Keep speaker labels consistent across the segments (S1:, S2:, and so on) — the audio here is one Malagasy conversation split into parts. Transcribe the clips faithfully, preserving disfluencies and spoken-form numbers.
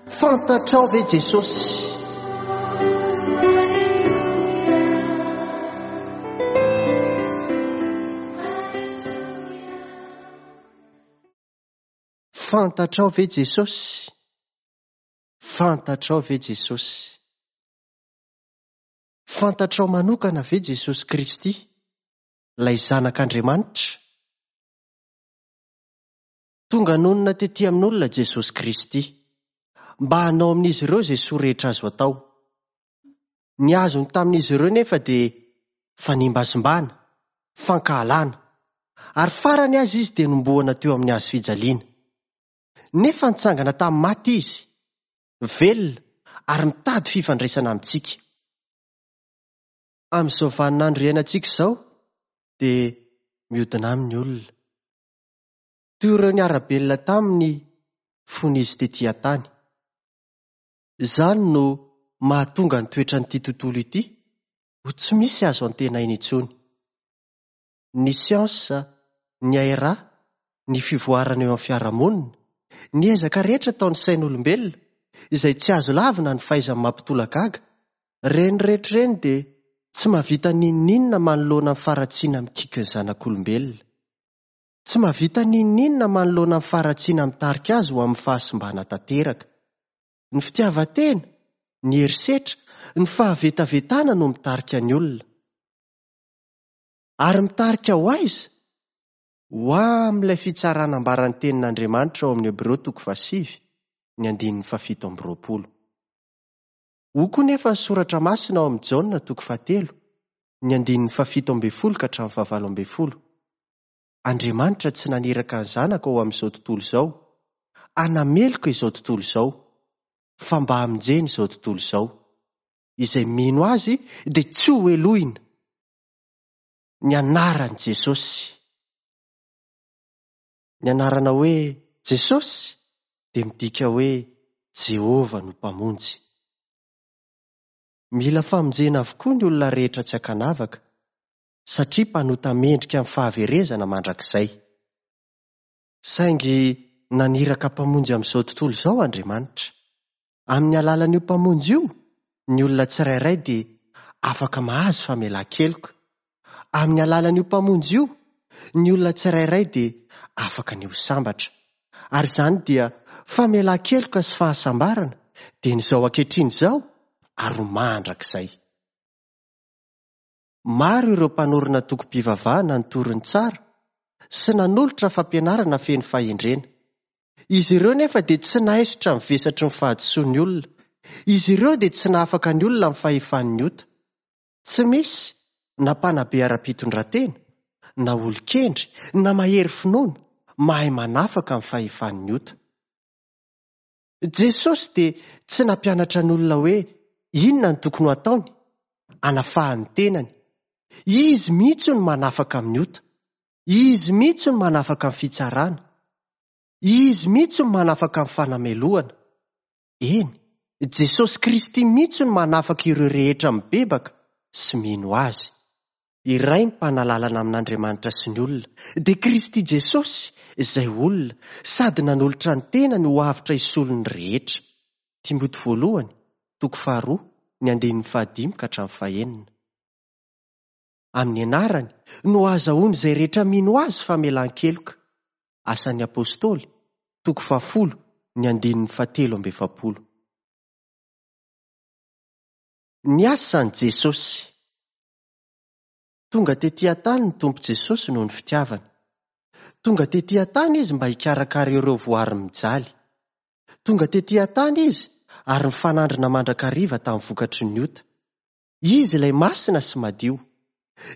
S1: Fantatrao ve Jesosy? Fantatrao ve Jesosy? Fantatrao ve Jesosy? Fantatrao manokana ve Jesosy Kristy, ilay Zanak'Andriamanitra? Tonga nonina tety amin'olona Jesosy Kristy, mba hanao amin'izy ireo izay soa rehetra azo atao. Ny azony tamin'izy ireo nefa dia fanimbazimbana, fankahalana, ary farany aza izy dia nombohana teo amin'ny hazo fijaliana. Nefa nitsangana tamin'ny maty izy, velona ary mitady fifandraisana amintsika. Amin'izao vaninandro iainantsika izao dia miodina amin'ny olona. Toy ireo niara-belona taminy fony izy tety an-tany. Izany no mahatonga ny toetran'ity tontolo ity ho tsy misy azo antenaina intsony. Ny siansa, ny hairaha, ny fivoarana eo amin'ny fiarahamonina, ny ezaka rehetra ataon'ny sain'olombelona, izay tsy azo lavina ny fahaizany mampitolagaga, ireny rehetra ireny dia tsy mahavita n'inon'inona manoloana ny faharatsiana mikiky ny zanak'olombelona. Tsy mahavita n'inon'inona manoloana ny faharatsiana mitarika azy ho amin'ny fahasimbana tanteraka. Ny fitiavan-tena, ny herisetra, ny fahavetavetana no mitarika ny olona. Ary mitarika ho aiza? Ho amin'ilay fitsarana ambaran'ny tenin'Andriamanitra ao amin'ny Hebreo toko fahasivy, ny andininy fahafito amby roapolo. Hoy koa nefa ny soratra masina ao amin'ny Jaona toko fahatelo, ny andininy fahafito ambin'ny folo ka hatramin'ny fahavalo ambin'ny folo. Andriamanitra tsy naniraka ny zanaka ho amin'izao tontolo izao, hanameloka izao tontolo izao, fa mba hamonjena izao tontolo izao. Izay mino azy dia tsy ho helohina. Ny anaran'i Jesosy. Ny anarana hoe Jesosy dia midika hoe Jehovah no Mpamonjy. Mila famonjena avokoa ny olona rehetra tsy ankanavaka, satria mpanota mendrika amin'ny fahaverezana mandrakizay. Saingy naniraka mpamonjy amin'izao tontolo izao Andriamanitra. Amin'ny alalan'io mpamonjy io, ny olona tsirairay dia afaka mahazo famelan-keloka. Amin'ny alalan'io mpamonjy io, ny olona tsirairay dia afaka ny ho sambatra. Ary izany dia famelan-keloka sy fahasambarana dia ny izao ankehitriny izao ary ho mandrakizay. Maro ireo mpanorina antokom-pivavahana nitory ny tsara sy nanolotra fampianarana feno fahendrena. Izy ireo nefa dia tsy nahaisotra ny vesatry ny fahadisoan'ny olona. Izy ireo dia tsy nahafaka ny olona amin'ny fahefan'ny ota. Tsy misy na mpanabe ara-pitondran-tena, na olon-kendry, na mahery finoana, mahay manafaka amin'ny fahefan'ny ota. Jesosy dia tsy nampianatra ny olona hoe inona no tokony ho ataony, hanafahany ny tenany. Izy mihitsy no manafaka amin'ny ota. Izy mihitsy no manafaka amin'ny fitsarana. Izy mihitsy no manafaka amin'ny fanamelohana. Eny, Jesosy Kristy mihitsy no manafaka ireo rehetra mibebaka sy mino azy. Iray ny mpanalalana amin'Andriamanitra sy ny olona, dia Kristy Jesosy izay olona sady nanolotra ny tenany ho avotra hisolo ny rehetra. Timoty voalohany, toko faharoa, ny andininy fahadimy ka hatramin'ny fahenina. Amin'ny anarany no ahazahoany izay rehetra mino azy famelan-keloka. Asan'ny Apôstôly, toko fahafolo, ny andininy fahatelo amby efapolo. Ny asan'i Jesosy. Tonga tety an-tany ny Tompo Jesosy noho ny fitiavany. Tonga tety an-tany izy mba hikarakara ireo voary mijaly. Tonga tety an-tany izy ary nifanandrina mandrakariva tamin'ny vokatry ny ota. Izy ilay masina sy madio.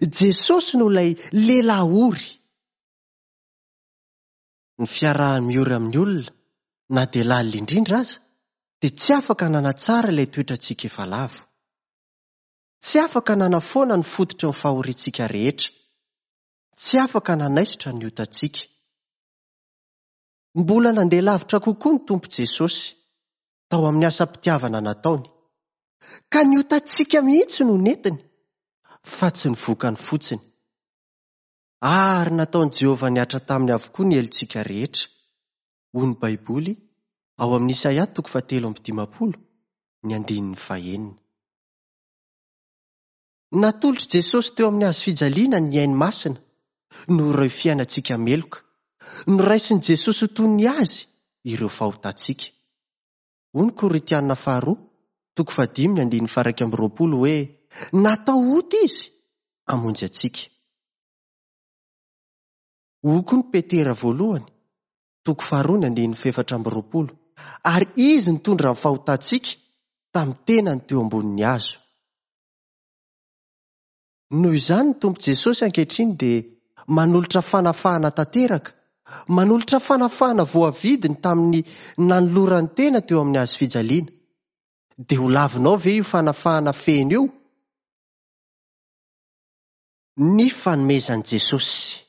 S1: Jesosy no ilay lehilahy ory. Ny fiarahany miory amin'ny olona, na dia lalina indrindra aza, dia tsy afaka nanatsara ilay toetrantsika efa lavo. Tsy afaka nanafoana ny fototry ny fahoriantsika rehetra. Tsy afaka nanaisotra ny otantsika. Mbola nandeha lavitra kokoa ny Tompo Jesosy tao amin'ny asam-pitiavana nataony. Ka ny otantsika mihitsy no nentiny, fa tsy ny vokany fotsiny. Ary nataon'i Jehovah nihatra taminy avokoa ny helotsika rehetra, hoy ny Baiboly Ao amin'ny Isaia toko fahatelo amby dimampolo ny andininy fahenina. Natolotr'i Jesosy teo amin'ny hazo fijaliana ny ainy masina noho ireo fiainantsika meloka. Noraisin'i Jesosy ho toy ny azy ireo fahotantsika. Hoy ny Korintiana faharoa, toko fahadimy ny andininy faha-iraika amby roapolo hoe natao ota izy hamonjy antsika. Hoy koa ny Petera voalohany, toko faharoa ny andininy fahefatra amby roapolo, ary izy nitondra ny fahotantsika tamin'ny tenany teo ambonin'ny hazo. Noho izany ny Tompo Jesosy ankehitriny dia manolotra fanafahana tanteraka, manolotra fanafahana voavidiny tamin'ny nanolorany tena teo amin'ny hazo fijaliana. Dia ho lavinao ve io fanafahana feno io? Ny fanomezan'i Jesosy.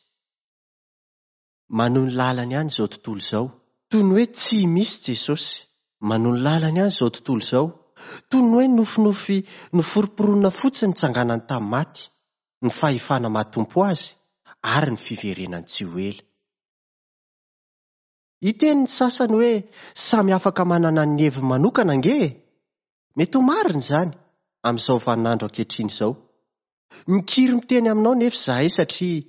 S1: Manohy ny lalany ihany izao tontolo izao, toy ny hoe tsy misy Jesosy. Manohy ny lalany ihany izao tontolo izao, toy ny hoe nofinofy noforomporonina fotsiny nitsanganany tamin'ny maty, ny fahefana maha-tompo azy ary ny fiverenany tsy ho ela. Hiteny ny sasany hoe samy afaka manana ny heviny manokana ange. Mety ho marina izany amin'izao vaninandro ankehitriny izao. Mikiry miteny aminao nefa izahay satria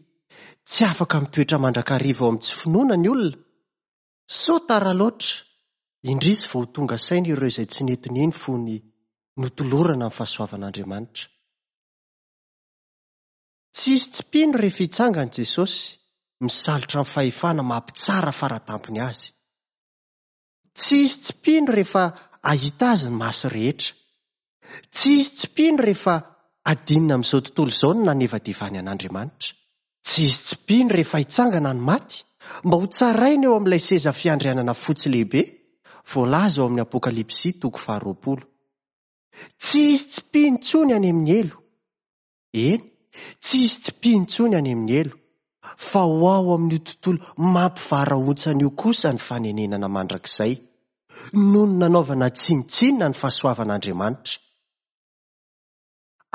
S1: tsy afaka mitoetra mandrakariva ao amin'ny tsy finoana ny olona. Sao tara loatra, indrisy vao tonga saina ireo izay tsy nety nino fony notolorana ny fahasoavan'Andriamanitra. Tsy hisy tsy mpino rehefa hitsangana Jesosy, misalotra ny fahefana mampitsara faratampony azy. Tsy hisy tsy mpino rehefa hahita azy ny maso rehetra. Tsy hisy tsy mpino rehefa adinina amin'izao tontolo izao ny nanevadevany an'Andriamanitra. Tsy hisy tsy mpino rehefa hitsangana ny maty mba ho tsaraina eo amin'ilay seza fiandrianana fotsy lehibe voalaza ao amin'ny Apokalypsy toko faharoapolo. Tsy hisy tsy mpino intsony any amin'ny helo. Eny, tsy hisy tsy mpino intsony any amin'ny helo, fa ho ao amin'io tontolo mampivarahontsana io kosa ny fanenenana mandrakizay, noho ny nanaovana tsinontsinona ny fahasoavan'Andriamanitra.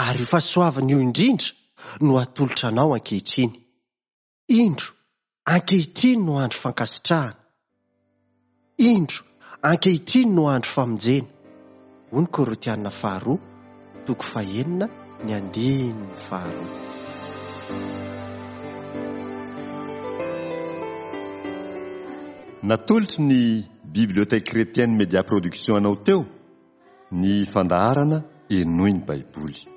S1: Ary io fahasoavana io indrindra no atolotra anao ankehitriny. Indro, ankehitriny no andro fankasitrahana. Indro, ankehitriny no andro famonjena. Hoy ny Korintiana faharoa, toko fahenina ny andininy faharoa.
S2: Natolotry ny Bibliothèque Chrétienne Média Production anao teo ny fandaharana Henoy ny Baiboly.